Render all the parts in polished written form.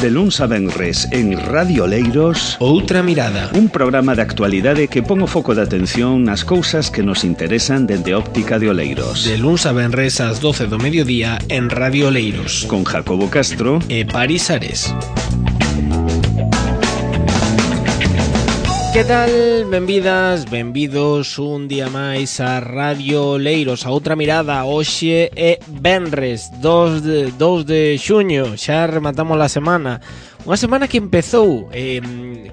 De luns a venres en Radio Oleiros, Outra Mirada, un programa de actualidade que pon o foco de atención nas cousas que nos interesan dende a óptica de Oleiros. de luns a venres ás 12 do mediodía en Radio Oleiros, Con Jacobo Castro e Paris Ares. Que tal? Benvidas, benvidos un día máis a Radio Oleiros, a Outra Mirada. Hoxe é venres 2 de xuño, xa rematamos a semana. Unha semana que empezou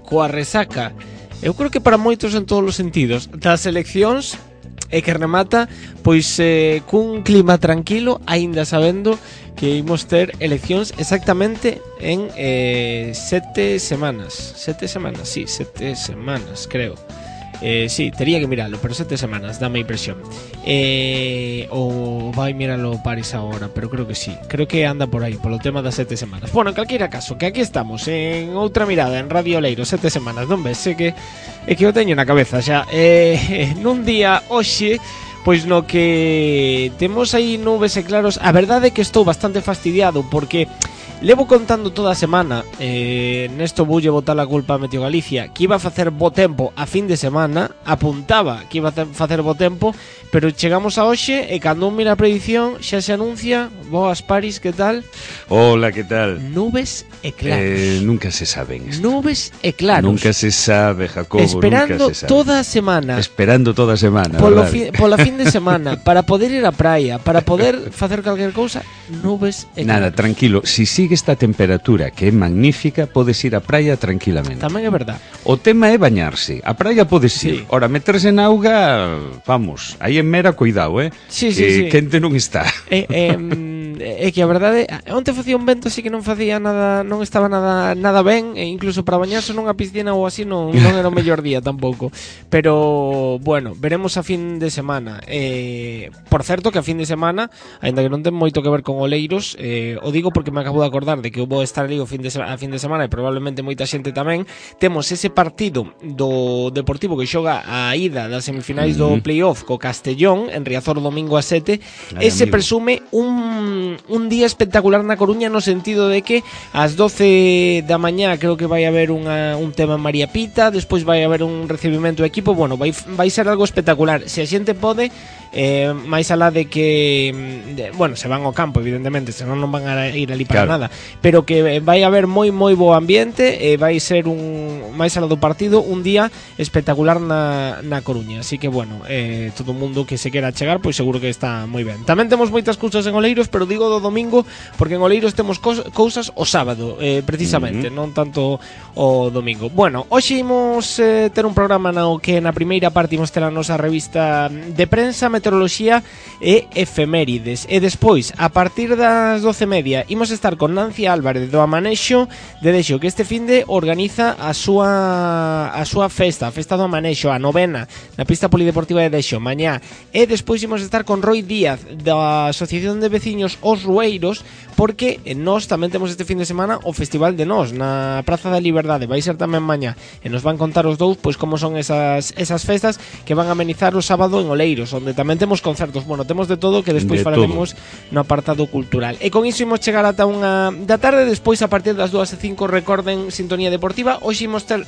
coa resaca, eu creo que para moitos en todos os sentidos, das eleccións, e que remata pois cun clima tranquilo, aínda sabendo que imos ter eleccións exactamente en 7 semanas. 7 semanas, sí, 7 semanas, creo. Sí, tería que miralo, pero 7 semanas, dame impresión. O vai miralo Paris agora, pero creo que sí. Creo que anda por aí, polo tema das 7 semanas. Bueno, en calquera caso, que aquí estamos en Outra Mirada, en Radio Oleiros, 7 semanas, non ves? É que o teño na cabeza xa. Nun día hoxe, pois no que temos aí nubes e claros, a verdade é que estou bastante fastidiado porque levo contando toda a semana, nesto voulle botar a culpa a Meteo Galicia, que iba a facer bo tempo a fin de semana, apuntaba que iba a facer bo tempo, pero chegamos a hoxe e cando un mira a predición xa se anuncia. Boas, Paris, que tal? Hola, que tal? Nubes e claros. Nunca se saben esto. Nubes e claros. Nunca se sabe, Jacobo. Esperando nunca se sabe. toda a semana. Esperando toda a semana, Pola verdade? fin de semana, para poder ir á praia, para poder facer calquer cousa, nubes e Nada, claros. tranquilo, si sigue esta temperatura que é magnífica, podes ir á praia tranquilamente. Tamén é verdad. O tema é bañarse. A praia podes ir. Sí. Ora, meterse na auga, vamos, aí en Mera, cuidado, Sí, que sí. quente non está. É que a verdade, onte facía un vento así que non facía nada, non estaba nada ben, e incluso para bañarse nunha piscina ou así non era o mellor día tampouco. Pero bueno, veremos a fin de semana. Por certo que a fin de semana, aínda que non ten moito que ver con Oleiros, o digo porque me acabo de acordar de que eu vou estar ali a fin de semana e probablemente moita xente tamén. Temos ese partido do Deportivo que xoga a ida das semifinais do playoff co Castellón en Riazor domingo a 7. Ese amigo. presume un día espectacular na Coruña, no sentido de que ás 12 da mañá creo que vai haber un tema en María Pita, despois vai haber un recibimento do equipo. Bueno, vai ser algo espectacular. Se a xente pode, máis alá de que bueno, se van ao campo, evidentemente, senón non van a ir ali para Claro. nada, pero que vai haber moi bo ambiente, e vai ser máis alá do partido, un día espectacular na Coruña. Así que bueno, todo o mundo que se quera chegar, pois seguro que está moi ben. Tamén temos moitas cousas en Oleiros, pero digo do domingo porque en Oleiros temos cousas o sábado, precisamente, non tanto o domingo. Bueno, hoxe imos ter un programa no que na primeira parte imos ter a nosa revista de prensa, meteoroloxía e efemérides, e despois a partir das 12:30 imos estar con Nancy Álvarez do Amanexo de Dexo, que este finde organiza a súa festa, a festa do Amanexo, a novena, na pista polideportiva de Dexo mañá. E despois imos estar con Roy Díaz da Asociación de Veciños Os Rueiros, porque nós tamén temos este fin de semana o Festival de Nós na Praza da Liberdade, vai ser tamén mañá, e nos van contar os dous pois como son esas festas que van a amenizar o sábado en Oleiros, onde tamén temos concertos. Bueno, temos de todo, que despois De falaremos no apartado cultural. E con iso imos chegar ata 1 da tarde. Despois, a partir das 2:05, recorden Sintonía Deportiva. Hoxe imos ter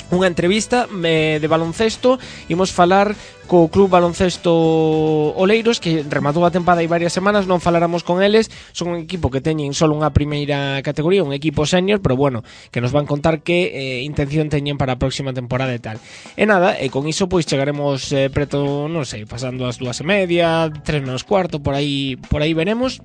unha entrevista de baloncesto. Imos falar co Club Baloncesto Oleiros, que rematou a tempada hai varias semanas. Non faláramos con eles, son un equipo que teñen só unha primeira categoría, un equipo senior, pero bueno, que nos van contar que intención teñen para a próxima temporada e tal. E nada, e con iso pois chegaremos preto, non sei, pasando as 2:30, 3 menos cuarto, por aí veremos.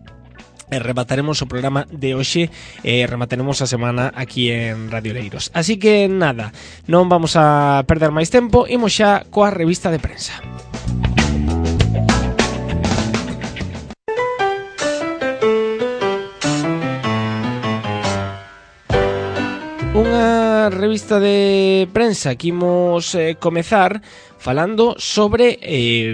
E remataremos o programa de hoxe, remataremos a semana aquí en Radio Oleiros. Así que nada, non vamos a perder máis tempo, imos xa coa revista de prensa. Unha revista de prensa que imos comezar falando sobre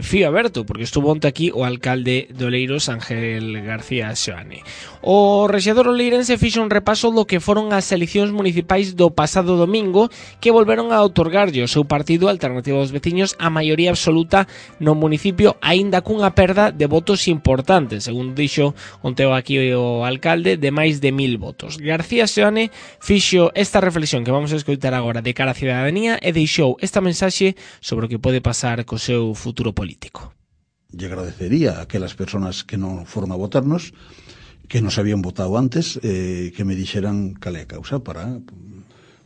fío aberto, porque estuvo onte aquí o alcalde de Oleiros, Ángel García Seoane. O rexedor oleirense fixo un repaso do que foron as eleccións municipais do pasado domingo, que volveron a outorgarlle o seu partido Alternativa dos Veciños a maioría absoluta no municipio, aínda cunha perda de votos importantes, según dixo onte aquí o alcalde, de máis de 1000 votos. García Seoane fixo esta reflexión que vamos a escoitar agora de cara á cidadanía e deixou esta mensaxe sobre o que pode pasar co seu futuro político. Lle agradecería a aquelas persoas que non foron a votarnos, que nos habían votado antes, que me dixeran cal é a causa para,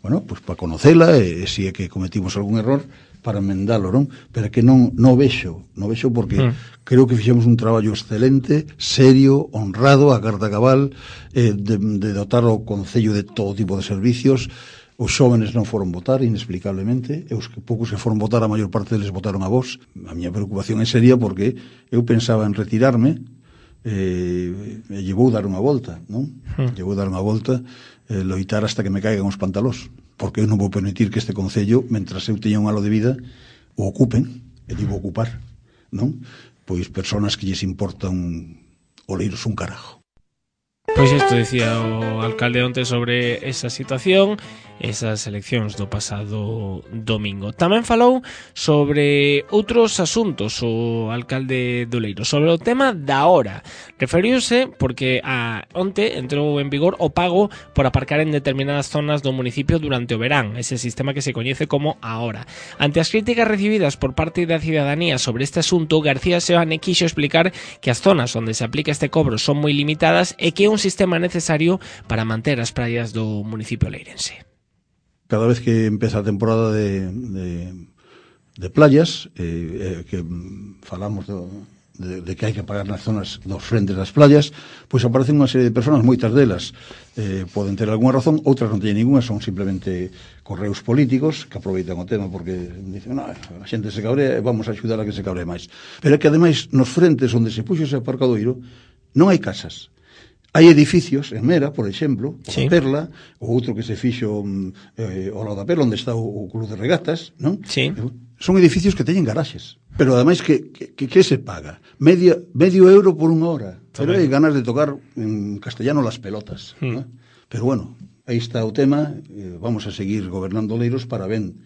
bueno, pues para conocela e se é que cometimos algún error para enmendálo, non? Pero que non vexo porque creo que fixemos un traballo excelente, serio, honrado, a carta cabal, de dotar o Concello de todo tipo de servicios. Os xóvenes non foron votar, inexplicablemente, e os poucos que foron votar, a maior parte deles votaron a vos. A miña preocupación é seria porque eu pensaba en retirarme, e lle vou dar unha volta, non? Lle vou dar unha volta, loitar hasta que me caigan os pantalós, porque eu non vou permitir que este Concello, mentras eu teña un halo de vida, o ocupen, e digo ocupar, non? Pois persoas que lles importan Oleiros un carajo. Pois isto decía o alcalde onte sobre esa situación, esas eleccións do pasado domingo. Tamén falou sobre outros asuntos o alcalde de Oleiros, sobre o tema da hora. Referiuse porque onte entrou en vigor o pago por aparcar en determinadas zonas do municipio durante o verán, ese sistema que se coñece como a hora. Ante as críticas recibidas por parte da cidadanía sobre este asunto, García Seoane quixo explicar que as zonas onde se aplica este cobro son moi limitadas e que é un sistema necesario para manter as praias do municipio oleirense. Cada vez que empeza a temporada de playas, que falamos de que hai que pagar nas zonas dos frentes das playas, pois aparecen unha serie de persoas, moitas delas poden ter algunha razón, outras non teñen ninguna, son simplemente correos políticos que aproveitan o tema porque dicen, a xente se cabrea e vamos a axudar a que se cabre máis. Pero é que ademais nos frentes onde se puxo ese aparcadoiro non hai casas. Hai edificios, en Mera, por exemplo, sí. A Perla, o outro que se fixo ao lado da Perla, onde está o Club de Regatas, non? Sí. Son edificios que teñen garaxes. Pero ademais que se paga? Medio euro por unha hora. Pero hai ganas de tocar en castellano las pelotas. ¿No? Pero bueno, aí está o tema. Vamos a seguir gobernando Oleiros para ben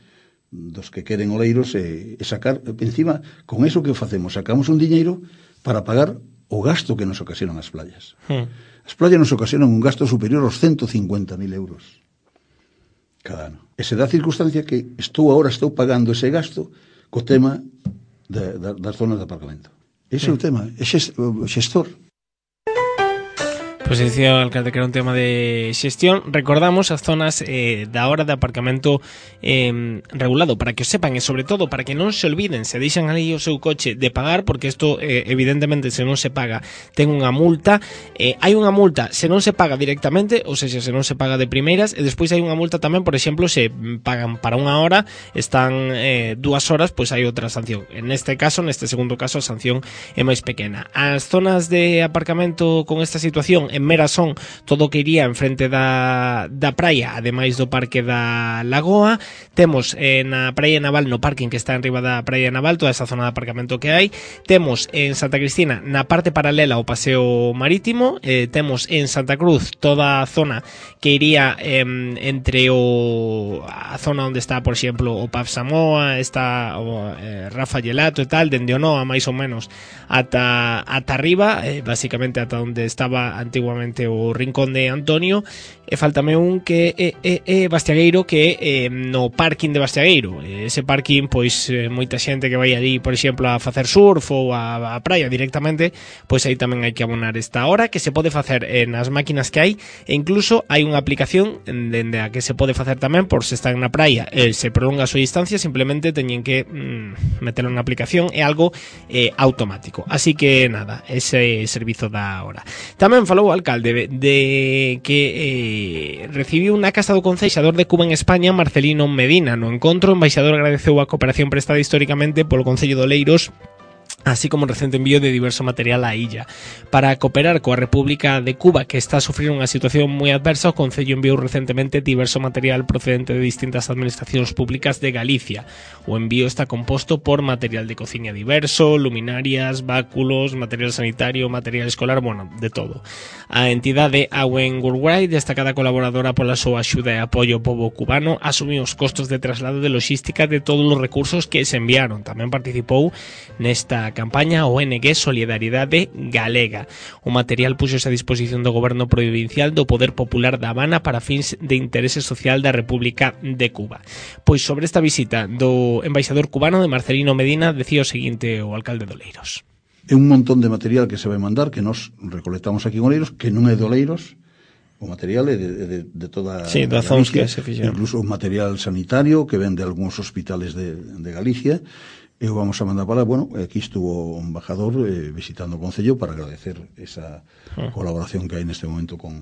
dos que queren Oleiros e sacar, encima, con eso que facemos, sacamos un diñeiro para pagar o gasto que nos ocasionan as playas. As playas nos ocasionan un gasto superior aos 150.000 euros cada ano. E se dá a circunstancia que estou pagando ese gasto co tema das zonas de aparcamento. Ese é o tema, é o xestor. Pois dicía o alcalde que era un tema de xestión. Recordamos as zonas da hora de aparcamento regulado, para que o sepan e sobre todo para que non se olviden, se deixan ali o seu coche de pagar, porque isto evidentemente se non se paga ten unha multa. Hai unha multa se non se paga directamente, ou seja, se non se paga de primeiras, e despois hai unha multa tamén, por exemplo, se pagan para unha hora, están 2 horas, pois hai outra sanción. En este segundo caso, a sanción é máis pequena. As zonas de aparcamento con esta situación en Mera son todo o que iría en frente da praia, ademais do parque da Lagoa. Temos na praia naval, no parking que está en riba da praia naval, toda esa zona de aparcamento que hai. Temos en Santa Cristina, na parte paralela ao paseo marítimo. Temos en Santa Cruz toda a zona que iría entre a zona onde está, por exemplo, o Pub Samoa, está o Rafa Gelato e tal, dende o Noa máis ou menos ata arriba, basicamente ata onde estaba antiguamente o rincón de Antonio. E faltame un que é Bastiagueiro, que é no parking de Bastiagueiro. Ese parking, pois moita xente que vai ali, por exemplo, a facer surf ou a praia directamente, pois aí tamén hai que abonar esta hora, que se pode facer nas máquinas que hai, e incluso hai unha aplicación dende a que se pode facer tamén por se están na praia e se prolonga a súa distancia, simplemente teñen que meterlo na aplicación, é algo automático. Así que nada, ese servizo da hora. Tamén falou o alcalde de que recibiu na casa do conceixador de Cuba en España, Marcelino Medina. No encontro, o embaixador agradeceu a cooperación prestada históricamente polo Concello de Oleiros así como un recente envío de diverso material á illa. Para cooperar coa República de Cuba, que está a sufrir unha situación moi adversa, o Concello enviou recentemente diverso material procedente de distintas administracións públicas de Galicia. O envío está composto por material de cociña diverso, luminarias, báculos, material sanitario, material escolar, bueno, de todo. A entidade Awen Worldwide, destacada colaboradora pola súa axuda e apoio ao pobo cubano, asumiu os costos de traslado de logística de todos os recursos que se enviaron. Tamén participou nesta campaña a ONG Solidariedade Galega. O material puxose a disposición do goberno provincial do Poder Popular da Habana para fins de interese social da República de Cuba. Pois sobre esta visita do embaixador cubano de Marcelino Medina decía o seguinte o alcalde de Oleiros. É un montón de material que se vai mandar, que nos recolectamos aquí en Oleiros, que non é de Oleiros, o material é de toda da zons que se fixeron. Incluso o material sanitario que ven de algúns hospitales de Galicia. E vamos a mandar para, bueno, aquí estuvo o embajador visitando o Concello para agradecer esa colaboración que hai neste momento con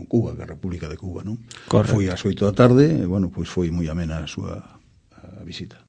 Cuba, que é a República de Cuba, non? Foi ás 8 da tarde, e, bueno, pois foi moi amena a súa visita.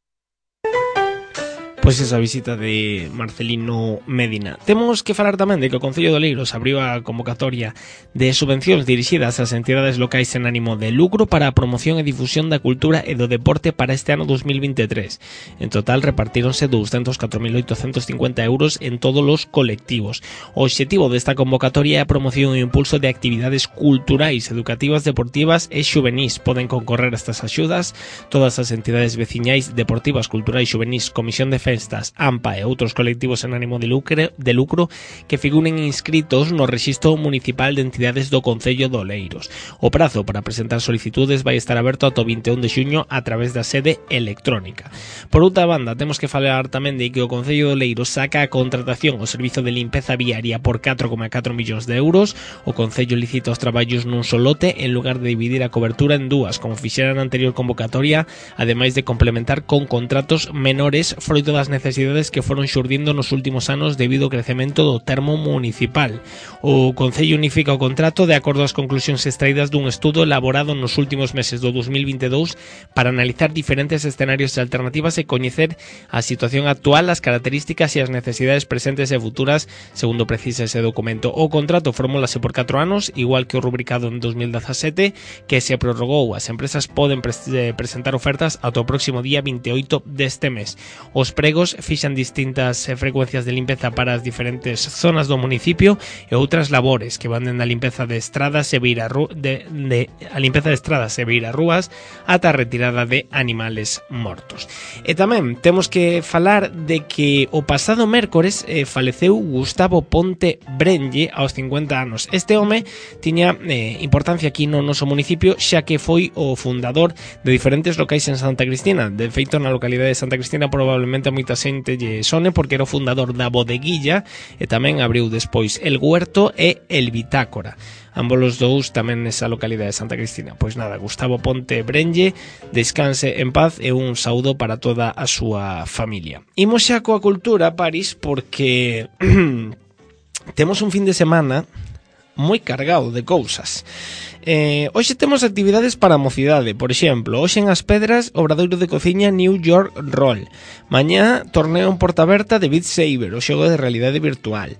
Pois esa visita de Marcelino Medina. Temos que falar tamén de que o Concello de Oleiros abriu a convocatoria de subvencións dirixidas ás entidades locais en ánimo de lucro para a promoción e difusión da cultura e do deporte para este ano 2023. En total repartíronse 204.850 euros en todos os colectivos. O obxectivo desta convocatoria é a promoción e impulso de actividades culturais, educativas, deportivas e xuvenís. Poden concorrer a estas axudas todas as entidades veciñais, deportivas, culturais, xuvenís, Comisión de Festas, AMPA e outros colectivos en ánimo de lucro que figuren inscritos no Rexistro Municipal de Entidades do Concello de Oleiros. O prazo para presentar solicitudes vai estar aberto ata o 21 de xuño a través da sede electrónica. Por outra banda, temos que falar tamén de que o Concello de Oleiros saca a contratación o servizo de limpeza viaria por 4,4 millóns de euros. O Concello licita os traballos nun só lote en lugar de dividir a cobertura en dúas, como fixera na anterior convocatoria, ademais de complementar con contratos menores froito das necesidades que foron xurdindo nos últimos anos debido ao crecemento do termo municipal. O Concello unifica o contrato de acordo ás conclusións extraídas dun estudo elaborado nos últimos meses do 2022 para analizar diferentes escenarios e alternativas e coñecer a situación actual, as características e as necesidades presentes e futuras, segundo precisa ese documento. O contrato formúlase por 4 anos, igual que o rubricado en 2017, que se prorrogou. As empresas poden presentar ofertas ata o próximo día 28 deste mes. Os pregos fixan distintas frecuencias de limpeza para as diferentes zonas do municipio e outras labores que van dende a limpeza de estradas e beirarrúas ata a retirada de animales mortos. E tamén temos que falar de que o pasado mércores faleceu Gustavo Ponte Brenlle aos 50 anos. Este home tiña importancia aquí no noso municipio, xa que foi o fundador de diferentes locais en Santa Cristina. De feito, na localidade de Santa Cristina probablemente a moita xente lle sone porque era o fundador da Bodeguilla e tamén abriu despois El Huerto e El Bitácora. Ambos os dous tamén nesa localidade de Santa Cristina. Pois nada, Gustavo Ponte Brenlle, descanse en paz e un saúdo para toda a súa familia. Imos xa coa cultura, Paris, porque temos un fin de semana moi cargado de cousas. Hoxe temos actividades para a mocidade. Por exemplo, hoxe en As Pedras, obradoiro de cociña New York Roll. Mañá, torneo en porta aberta de Beat Saber, o xogo de realidade virtual.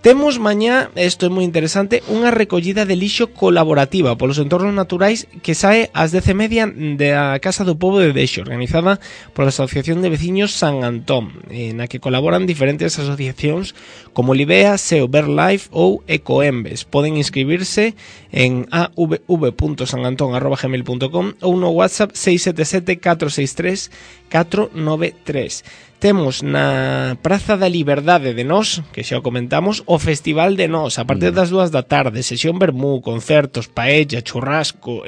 Temos mañá, isto é moi interesante, unha recollida de lixo colaborativa polos entornos naturais que sae ás 10:30 da Casa do Pobo de Deixo, organizada pola Asociación de Veciños San Antón, na que colaboran diferentes asociacións como Libea, SEO Verlife ou Ecoembes. Poden inscribirse en avv.sanantón@gmail.com ou no WhatsApp 677 463 493. Temos na Praza da Liberdade de Nós, que xa o comentamos, o Festival de Nós, a partir das 2 da tarde, sesión vermú, concertos, paella, churrasco,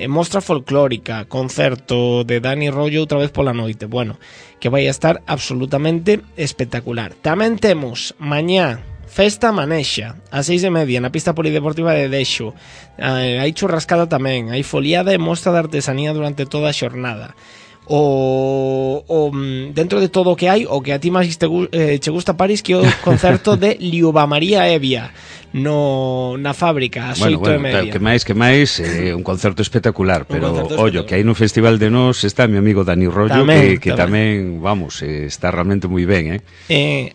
mostra folclórica, concerto de Dani Rollo outra vez pola noite. Bueno, que vai a estar absolutamente espectacular. Tamén temos mañá Festa Manexa, a 6:30 na pista polideportiva de Deixo. Hai churrascada tamén, hai foliada e mostra de artesanía durante toda a xornada. Dentro de todo o que hai, o que a ti máis che gusta, Paris, que é o concerto de Liuba María Evia. na fábrica ás 8:30. Que máis, un concerto espectacular, pero ollo, que aí no Festival de Nos está mi amigo Dani Rollo, que tamén, vamos, está realmente moi ben,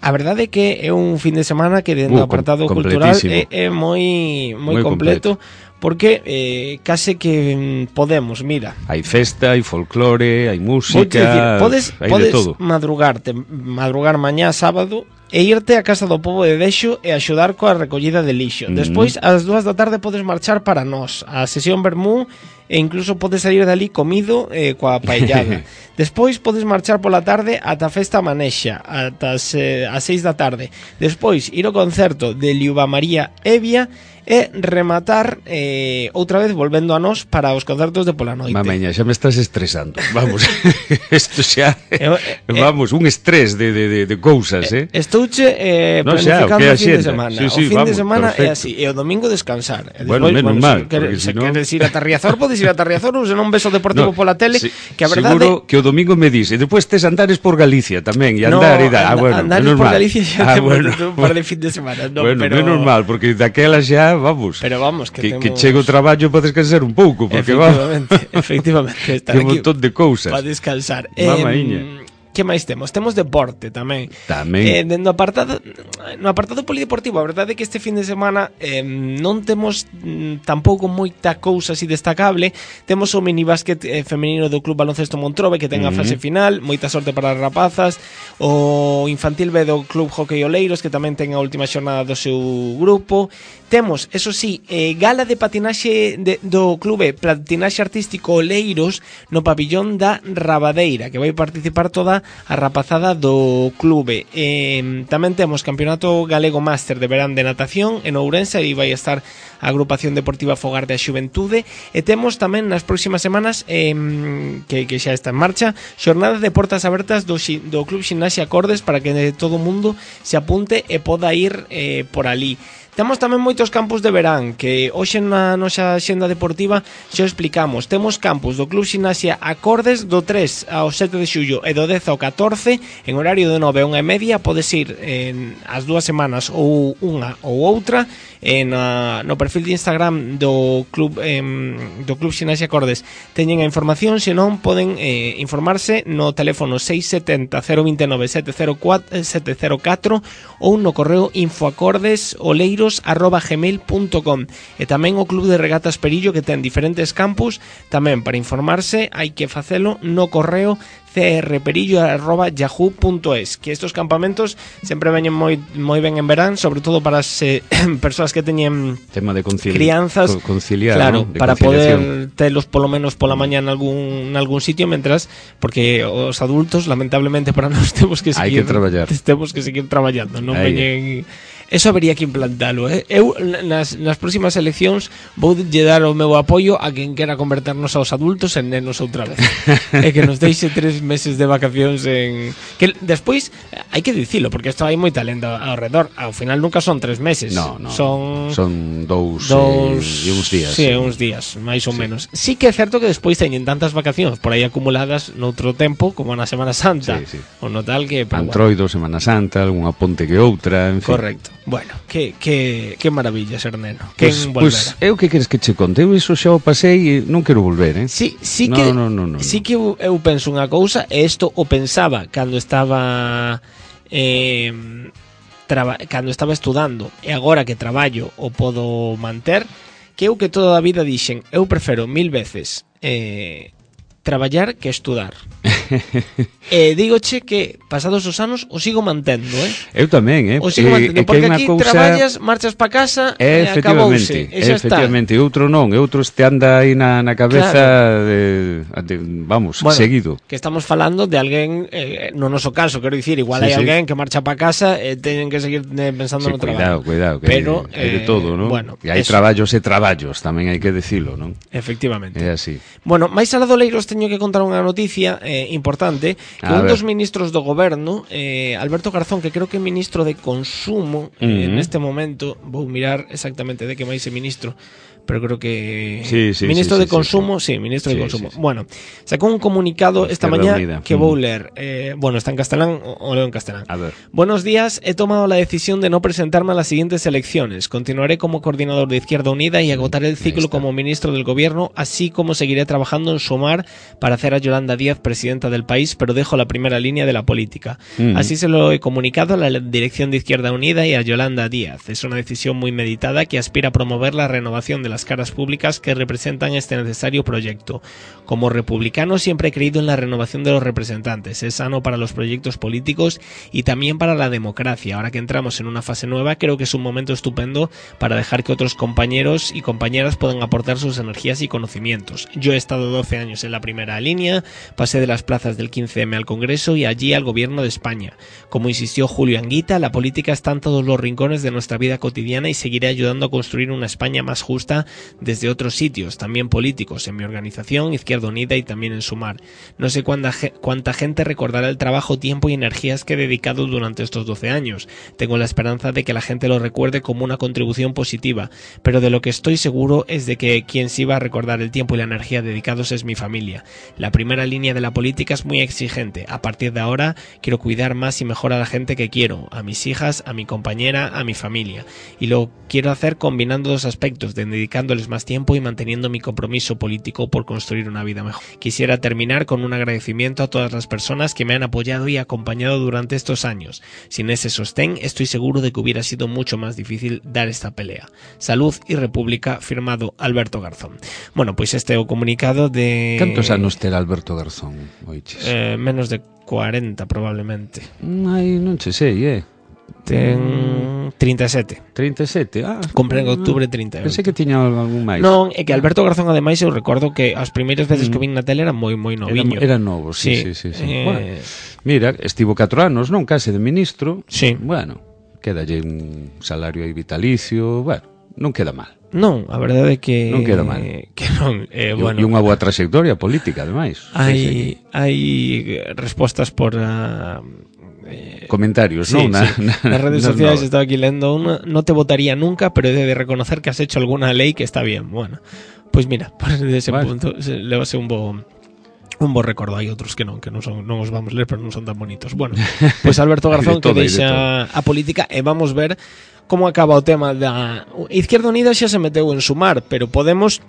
A verdade é que é un fin de semana que dentro do apartado cultural é moi completo. Porque case que podemos, mira. Hai festa, hai folclore, hai música, podes de todo. madrugar mañá sábado e irte á Casa do Pobo de Dexo e axudar coa recollida de lixo. Despois, ás 2 da tarde podes marchar para Nós, a sesión Vermú, e incluso podes salir dali comido coa paellada. Despois podes marchar pola tarde ata a festa Manexa, ata as 6 da tarde. Despois ir ao concerto de Liuba María Evia e rematar outra vez volvendo a Nós para os concertos de pola noite. Mameña, xa me estás estresando. Vamos, isto xa vamos, un estrés de cousas, Estouche planificando o fin de semana. O fin de semana é así, e o domingo descansar. Bueno, menos mal, se queres ir a Tarriazor, podes ir a Tarriazor, ou se non ves o Deportivo pola tele, que a verdade... Seguro que o domingo me dis, e depois tes andares por Galicia tamén, e andar e dar. Andares por Galicia xa temos un par de fin de semana. Bueno, menos mal, porque daquela xa vamos. Pero vamos, que chego o traballo para descansar un pouco, porque efectivamente, estar aquí un montón de cousas para descansar. Mamaíña. Que máis temos? Temos deporte tamén. No apartado polideportivo, a verdade é que este fin de semana non temos tampouco moita cousa así destacable. Temos o minibásquet femenino do Club Baloncesto Montrobe, que ten a fase final, moita sorte para as rapazas. O infantil B do Club Hockey Oleiros, que tamén ten a última xornada do seu grupo. Temos, eso sí, gala de patinaxe do Clube Patinaxe Artístico Oleiros no pabillón da Rabadeira, que vai participar toda a rapazada do clube. Tamén temos Campeonato Galego Máster de Verán de Natación en Ourense, e vai estar a Agrupación Deportiva Fogar da Xuventude, e temos tamén nas próximas semanas que xa está en marcha, xornada de portas abertas do Club Ximnasia Acordes para que todo o mundo se apunte e poda ir por ali. Temos tamén moitos campus de verán, que hoxe na nosa xenda deportiva xa explicamos. Temos campus do Club Ximnasia Acordes do 3 ao 7 de xullo e do 10 ao 14 en horario de 9 a 1:30. Podes ir as 2 semanas ou unha ou outra no perfil de Instagram do Club Ximnasia Acordes. Teñen a información, se non poden informarse no teléfono 670 029 704 ou no correo infoacordesoleiros@gmail.com. E tamén o Club de Regatas Perillo, que ten diferentes campus. Tamén para informarse hai que facelo no correo crperillo@yahoo.es, que estos campamentos sempre veñen moi ben en verán, sobre todo para as persoas que teñen tema de crianzas, conciliar, claro, ¿no? para poder telos polo menos pola mañá en algún sitio, mentras, porque os adultos lamentablemente para nós temos que seguir traballando, non veñen. Eso habería que implantalo, Eu nas próximas eleccións vou lle dar o meu apoio a quen quera converternos aos adultos en nenos outra vez. E que nos deixe 3 meses de vacacións que despois hai que dicilo, porque isto hai moita lenda ao redor. Ao final nunca son 3 meses. No. Son 2 e uns días. Sí, uns días, máis ou menos. Sí que é certo que despois teñen tantas vacacións por aí acumuladas noutro tempo, como na Semana Santa. Sí. O no tal que Antroido, Semana Santa, algunha ponte que outra, en fin. Correcto. Bueno, que maravilla ser neno. Pois eu que queres que che conte? Eu iso xa o pasei e non quero volver, Sí que eu penso unha cousa, e isto o pensaba cando estaba estudando, e agora que traballo o podo manter, que eu que toda a vida dixen, eu prefiro 1000 veces traballar que estudar. E dígoche que pasados os anos o sigo mantendo, Eu tamén, O sigo mantendo, porque aquí traballas, marchas pa casa e acabouse, e xa está. Efectivamente, outro non, outro este anda aí na cabeza, vamos, seguido. Que estamos falando de alguén, no noso caso, quero dicir, igual hai alguén que marcha pa casa e teñen que seguir pensando no traballo. Cuidado, que pero, hai de todo, non? E hai traballos e traballos, tamén hai que dicilo, non? Efectivamente. É así. Bueno, máis alá do Leiros teño que contar unha noticia importante, que un dos ministros do goberno, Alberto Garzón, que creo que é ministro de Consumo, neste momento, vou mirar exactamente de que máis é ministro, pero creo que ministro de Consumo, ministro de Consumo. Bueno, sacou un comunicado esta mañá que vou ler. Bueno, está en castelán, o leo en castelán. A ver. Buenos días, he tomado la decisión de no presentarme a las siguientes elecciones. Continuaré como coordinador de Izquierda Unida y agotaré el ciclo como ministro del gobierno, así como seguiré trabajando en Sumar para hacer a Yolanda Díaz presidenta del país, pero dejo la primera línea de la política. Así se lo he comunicado a la dirección de Izquierda Unida y a Yolanda Díaz. Es una decisión muy meditada que aspira a promover la renovación de las caras públicas que representan este necesario proyecto. Como republicano siempre he creído en la renovación de los representantes. Es sano para los proyectos políticos y también para la democracia. Ahora que entramos en una fase nueva, creo que es un momento estupendo para dejar que otros compañeros y compañeras puedan aportar sus energías y conocimientos. Yo he estado 12 años en la primera línea, pasé de las plazas del 15M al Congreso y allí al Gobierno de España. Como insistió Julio Anguita, la política está en todos los rincones de nuestra vida cotidiana y seguiré ayudando a construir una España más justa desde otros sitios, también políticos, en mi organización, Izquierda Unida y también en Sumar. No sé cuánta gente recordará el trabajo, tiempo y energías que he dedicado durante estos 12 años. Tengo la esperanza de que la gente lo recuerde como una contribución positiva, pero de lo que estoy seguro es de que quien sí va a recordar el tiempo y la energía dedicados es mi familia. La primera línea de la política es muy exigente. A partir de ahora quiero cuidar más y mejor a la gente que quiero, a mis hijas, a mi compañera, a mi familia. Y lo quiero hacer combinando dos aspectos, dedicándoles más tiempo y manteniendo mi compromiso político por construir una vida mejor. Quisiera terminar con un agradecimiento a todas las personas que me han apoyado y acompañado durante estos años. Sin ese sostén, estoy seguro de que hubiera sido mucho más difícil dar esta pelea. Salud y República, firmado Alberto Garzón. Bueno, pois este é o comunicado de... Cantos anos terá Alberto Garzón, oiches? Menos de 40, probablemente. Ai, non che sei, Ten 37. 37? Compré en outubro 38. Pensei que tiña algún máis. Non, é que Alberto Garzón, ademais, eu recordo que as primeiras veces que vin na tele era moi noviño. Era novo, sí. Bueno, mira, estivo 4 anos, non? Case de ministro. Sí. Bueno, quedalle un salario aí vitalicio, bueno, non queda mal. Non, a verdade é que... Non queda mal. Que non, bueno... E unha boa trayectoria política, ademais. Hai respostas por... comentarios, sí, ¿no? Nas redes sociales estaba aquí lendo una, no te votaría nunca, pero he de reconocer que has hecho alguna ley que está bien. Bueno, pues mira, desde ese punto le va a ser un bo recordo. Hai outros que non os vamos ler, pero non son tan bonitos. Bueno, pues Alberto Garzón que deixa a política e vamos ver como acaba o tema da Izquierda Unida. Xa se meteu en Sumar, pero Podemos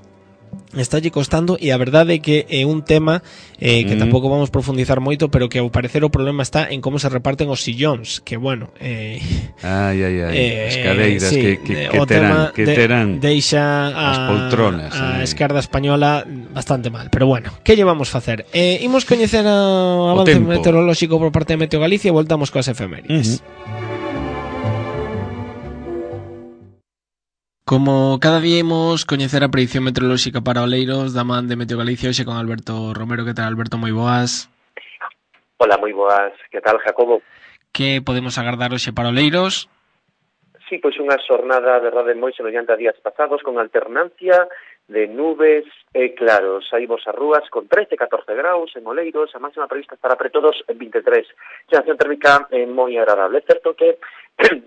estalle costando, e a verdade é que é un tema que tampouco vamos profundizar moito, pero que ao parecer o problema está en como se reparten os sillóns, que bueno, as cadeiras sí, que terán deixa as poltronas a esquerda española bastante mal, pero bueno, que llevamos facer? Imos coñecer o avance meteorolóxico por parte de Meteo Galicia e voltamos coas efemérides. Como cada día imos coñecer a predicción meteorolóxica para Oleiros da man de Meteo Galicia, hoxe con Alberto Romero. Que tal, Alberto? Moi boas. Hola, moi boas. Que tal, Jacobo? Que podemos agardar hoxe para Oleiros? Sí, pois unha xornada, verdade, moi semellante a días pasados, con alternancia de nubes e claros. Saímos as rúas con 13-14 graus en Oleiros, a máxima prevista estará pre todos en 23. Sensación térmica moi agradable. É certo que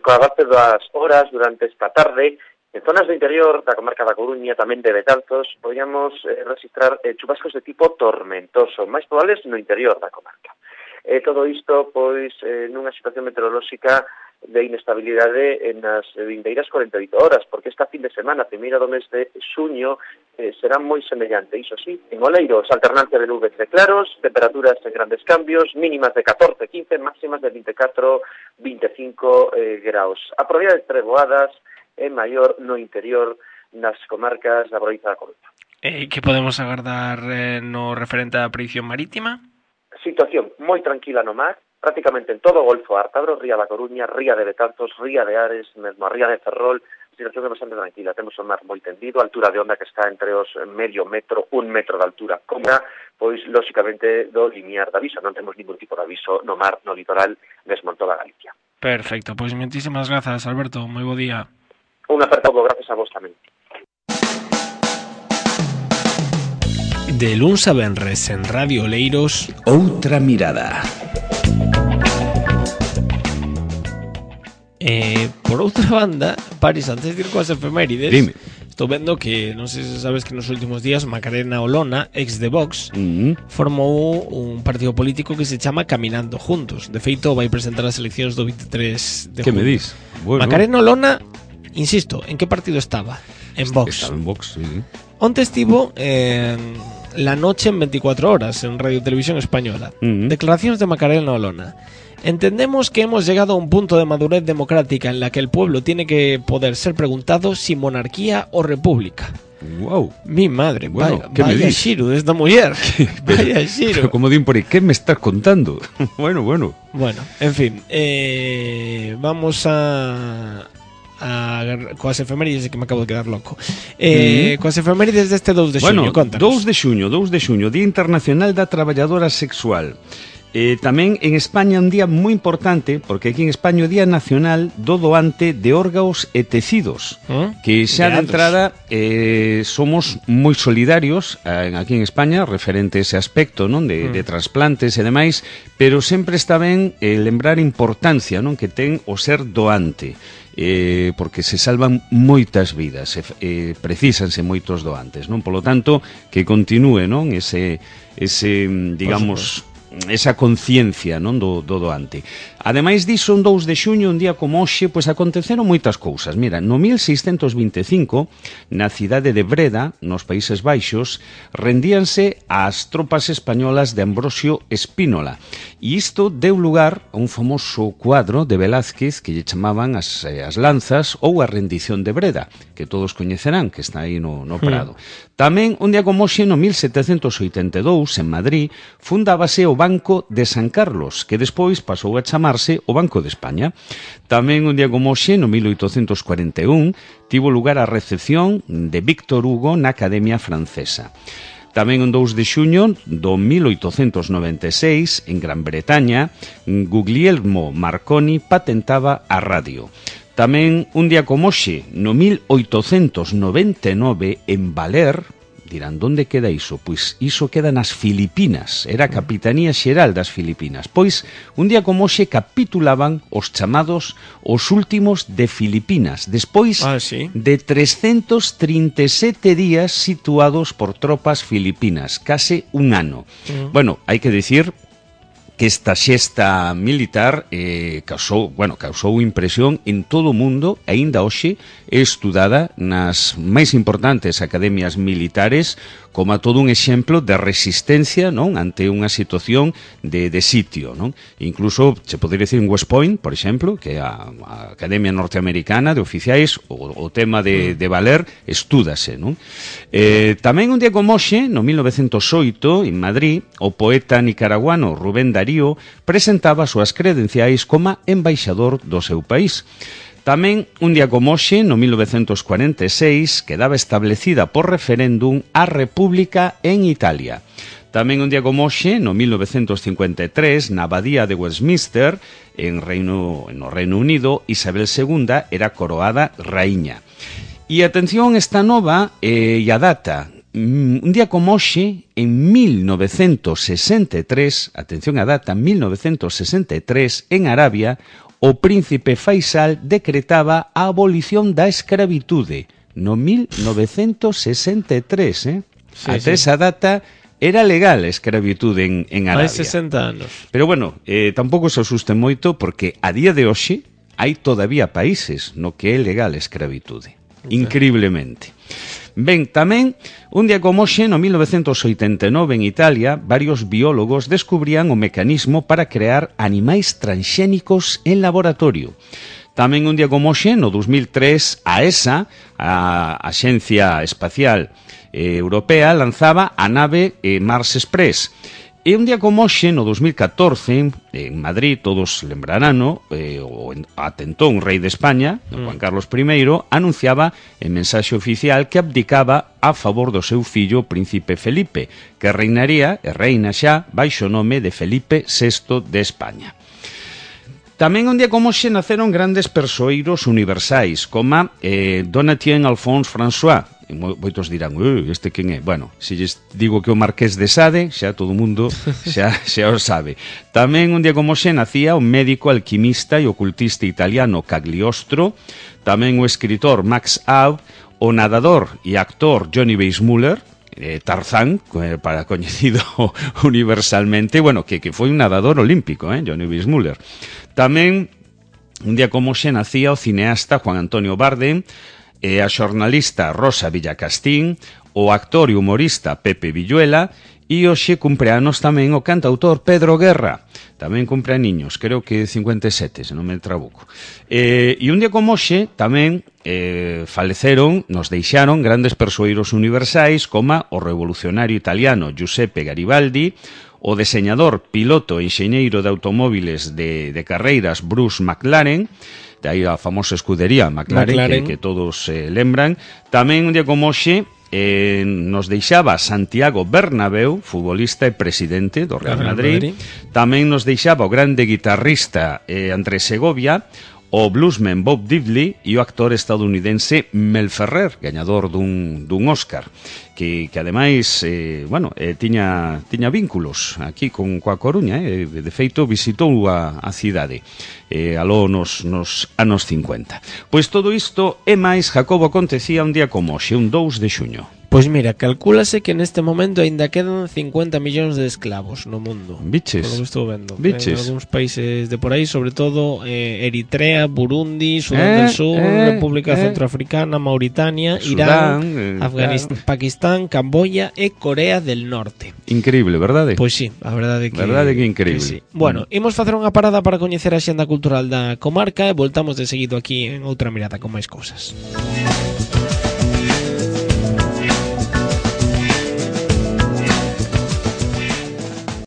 coa avance das horas durante esta tarde, en zonas do interior da comarca da Coruña, tamén de Betanzos, podíamos registrar chubascos de tipo tormentoso, máis probables no interior da comarca. Todo isto, pois, nunha situación meteorolóxica de inestabilidade nas vindeiras 48 horas, porque esta fin de semana, primeira do mes de xuño, será moi semellante. Iso sí, en Oleiros, alternancia de nubes de claros, temperaturas en grandes cambios, mínimas de 14-15, máximas de 24-25 graus. A probabilidade de treboadas é maior no interior nas comarcas da provincia da Coruña. Que podemos agardar no referente á predicción marítima? Situación moi tranquila no mar, prácticamente en todo o Golfo Ártabro, ría da Coruña, ría de Betanzos, ría de Ares, mesmo a ría de Ferrol, situación é bastante tranquila. Temos o mar moi tendido, a altura de onda que está entre os medio metro, 1 metro de altura, como pois, lóxicamente, do limiar de aviso. Non temos ningún tipo de aviso no mar, no litoral, mesmo en toda Galicia. Perfecto, pois moitísimas grazas, Alberto, moi bo día. Un apertado, gracias a vos tamén. De luns a venres en Radio Oleiros, Outra mirada. Por outra banda, Paris, antes de ir coas efemérides, Dime. estou vendo que, non sei se sabes que nos últimos días Macarena Olona, ex de Vox, formou un partido político que se chama Caminando Juntos. De feito, vai presentar as eleccións do 23 de Que junio. me dis? Bueno. Macarena Olona, insisto, en que partido estaba? En Vox. Estaba en Vox, sí. Onte estivo en La Noche en 24 horas en Radio Televisión Española. Declaraciones de Macarena Olona. Entendemos que hemos llegado a un punto de madurez democrática en la que el pueblo tiene que poder ser preguntado si monarquía o república. Wow. Mi madre, Bueno, vaya, ¿qué me vaya dices? Xiru de esta mujer. Vaya Xiru. Pero como din por aí, que me estás contando? Bueno. Bueno, en fin, vamos a coas efemérides, que me acabo de quedar loco. Coas efemérides deste 2 de xuño, Bueno, contanos. 2 de xuño, Día Internacional da Traballadora Sexual. Tamén en España un día moi importante, porque aquí en España o Día Nacional do Doante de Órganos e Tecidos, que xa de entrada somos moi solidarios aquí en España referente a ese aspecto, non, de trasplantes e demais, pero sempre está ben lembrar a importancia, non, que ten o ser doante. Porque se salvan moitas vidas, precisanse moitos doantes, non? Polo tanto, que continúe, non, ese digamos, esa conciencia, non, do doante. Ademais diso, un 2 de xuño, un día como hoxe, pois aconteceron moitas cousas. Mira, no 1625, na cidade de Breda, nos Países Baixos, rendíanse ás tropas españolas de Ambrosio Espínola. E isto deu lugar a un famoso cuadro de Velázquez que lle chamaban as lanzas ou a rendición de Breda, que todos coñecerán, que está aí no Prado. Tamén, un día como hoxe, no 1782, en Madrid, fundábase o Banco de San Carlos, que despois pasou a chamarse o Banco de España. Tamén un día como hoxe, no 1841, tivo lugar a recepción de Víctor Hugo na Academia Francesa. Tamén un 2 de xuño do 1896, en Gran Bretaña, Guglielmo Marconi patentaba a radio. Tamén un día como hoxe, no 1899, en Valer, dirán, onde queda iso? Pois iso queda nas Filipinas, era a Capitanía Xeral das Filipinas. Pois, un día como hoxe capitulaban os chamados os últimos de Filipinas, despois de 337 días situados por tropas filipinas, case un ano. Bueno, hai que dicir que esta xesta militar causou impresión en todo o mundo, e aínda hoxe é estudada nas máis importantes academias militares como a todo un exemplo de resistencia, non, ante unha situación de sitio, non? Incluso se podería decir en West Point, por exemplo, que é a Academia Norteamericana de Oficiais, o tema de Valer estúdase, non? Tamén un día como hoxe, no 1908, en Madrid, o poeta nicaraguano Rubén Darío presentaba as súas credenciais como embaixador do seu país. Tamén, un día como hoxe, no 1946, quedaba establecida por referéndum a República en Italia. Tamén un día como hoxe, no 1953, na Abadía de Westminster, no Reino Unido, Isabel II era coroada raíña. E atención esta nova e a data. Un día como hoxe, en 1963, atención a data, 1963, en Arabia, o príncipe Faisal decretaba a abolición da escravitude no 1963, Ata esa data era legal a escravitude en Arabia. Hai 60 anos. Pero bueno, tampouco se asusten moito porque a día de hoxe hai todavía países no que é legal a escravitude. Increíblemente. Ben, tamén, un día como hoxe, no 1989, en Italia, varios biólogos descubrían o mecanismo para crear animais transxénicos en laboratorio. Tamén un día como hoxe, no 2003, a ESA, a Axencia Espacial Europea, lanzaba a nave Mars Express. E un día como hoxe, no 2014, en Madrid, todos lembrarán, o atentón rei de España, Juan Carlos I, anunciaba en mensaxe oficial que abdicaba a favor do seu fillo, príncipe Felipe, que reinaría, e reina xa, baixo o nome de Felipe VI de España. Tamén un día como hoxe naceron grandes persoeiros universais, como Donatien Alphonse François, e moitos dirán, este quen é? Bueno, se lles digo que o Marqués de Sade, xa todo o mundo xa o sabe. Tamén un día como xe nacía o médico, alquimista e ocultista italiano Cagliostro, tamén o escritor Max Aub, o nadador e actor Johnny Weissmuller, Tarzán, para coñecido universalmente, bueno, que foi un nadador olímpico, Johnny Weissmuller. Tamén un día como xe nacía o cineasta Juan Antonio Bardem, a xornalista Rosa Villacastín, o actor e humorista Pepe Villuela, e hoxe cumpleanos tamén o cantautor Pedro Guerra. Tamén cumpleaniños, creo que 57, se non me trabuco. E un día como hoxe tamén faleceron, nos deixaron grandes persoeiros universais como o revolucionario italiano Giuseppe Garibaldi, o deseñador, piloto e enxeñeiro de automóviles de carreiras Bruce McLaren, de aí a famosa escudería McLaren. Que todos lembran. Tamén un día como hoxe nos deixaba Santiago Bernabéu, futbolista e presidente do Real Madrid. Tamén nos deixaba o grande guitarrista Andrés Segovia, o bluesman Bob Diddley e o actor estadounidense Mel Ferrer, gañador dun Oscar, que ademais, tiña vínculos aquí coa Coruña, de feito visitou a cidade aló nos anos 50. Pois todo isto e máis, Jacobo, acontecía un día como hoxe, un 2 de xuño. Pois mira, calcúlase que neste momento aínda quedan 50 millóns de esclavos no mundo. Biches. Por lo que estou vendo. Biches. En algúns países de por aí, sobre todo Eritrea, Burundi, Sudán del Sur, República Centroafricana, Mauritania, Irán, Afganistán, Pakistán, Camboya e Corea del Norte. Increíble, verdade? Pois sí, a verdade que é increíble. Que sí. Bueno, imos facer unha parada para coñecer a xenda cultural da comarca e voltamos de seguido aquí en outra mirada con máis cousas.